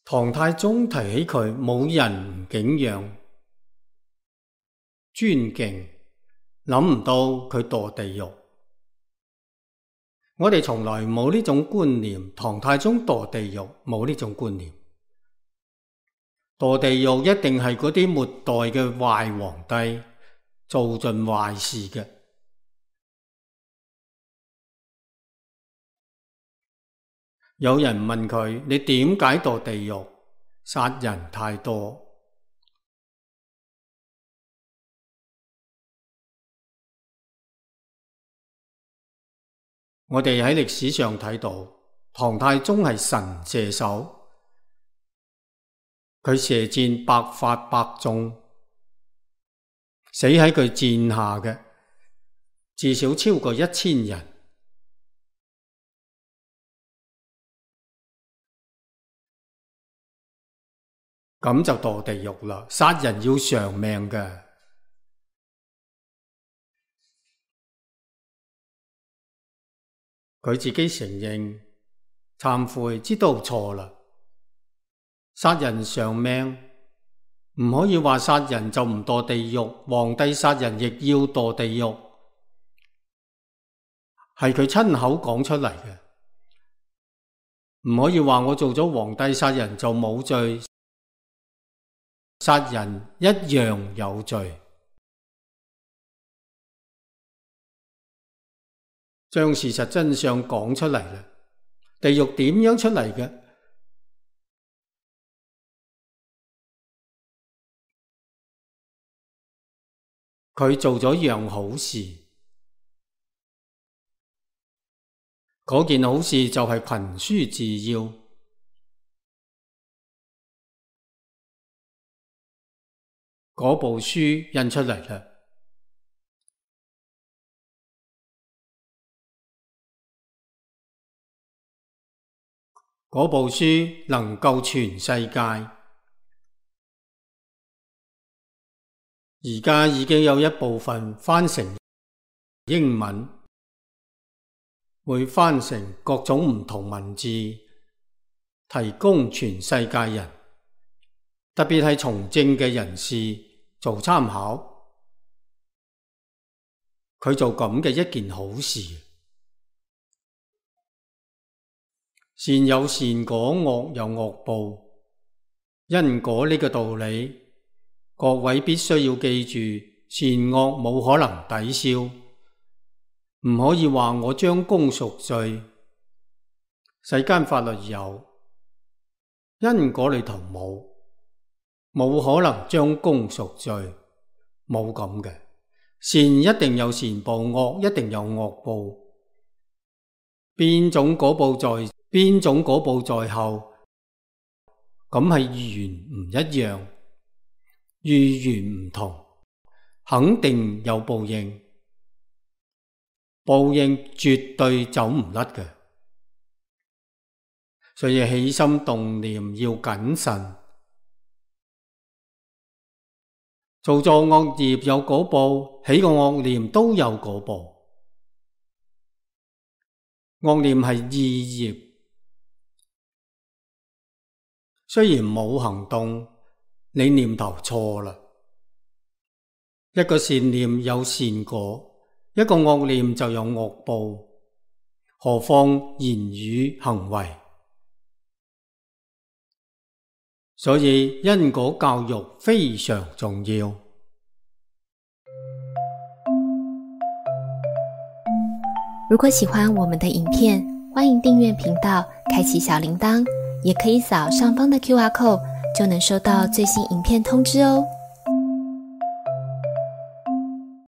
唐太宗提起佢，冇人唔敬仰、尊敬，諗唔到佢墮地獄。我哋從來冇呢種觀念，唐太宗墮地獄冇呢種觀念。墮地獄一定係嗰啲末代嘅壞皇帝做盡壞事嘅。有人問佢：你點解墮地獄？殺人太多。我哋喺歷史上睇到，唐太宗係神射手，佢射箭百發百中，死喺佢箭下嘅至少超過1000人。咁就墮地獄啦！殺人要償命嘅。佢自己承認、懺悔，知道錯啦。殺人償命，唔可以話殺人就唔墮地獄，皇帝殺人亦要墮地獄，係佢親口講出嚟嘅。唔可以話我做咗皇帝殺人就冇罪，殺人一樣有罪。將事實真相講出嚟啦。地獄點樣出嚟嘅？佢做咗樣好事，嗰件好事就係群書治要。嗰部書印出嚟啦。嗰部書能夠全世界，而家已經有一部分翻成英文，會翻成各種唔同文字，提供全世界人，特別係從政嘅人士做參考。佢做咁嘅一件好事。善有善果，惡有惡報，因果呢個道理，各位必須要記住，善惡冇可能抵消，唔可以話我將功贖罪。世間法律有，因果裏頭冇可能將功贖罪，冇咁嘅。善一定有善報，惡一定有惡報，邊種果報在後，咁係緣唔一樣，遇緣唔同，肯定有報應，報應絕對走唔甩嘅。所以起心動念要謹慎，做錯惡業有果報，起個惡念都有果報。惡念係意業，雖然冇行動，你念頭錯啦。一個善念有善果，一個惡念就有惡報，何況言語行為。所以因果教育非常重要。如果喜歡我們的影片，歡迎訂閱頻道，開啟小鈴鐺，也可以掃上方的QR code，就能收到最新影片通知哦。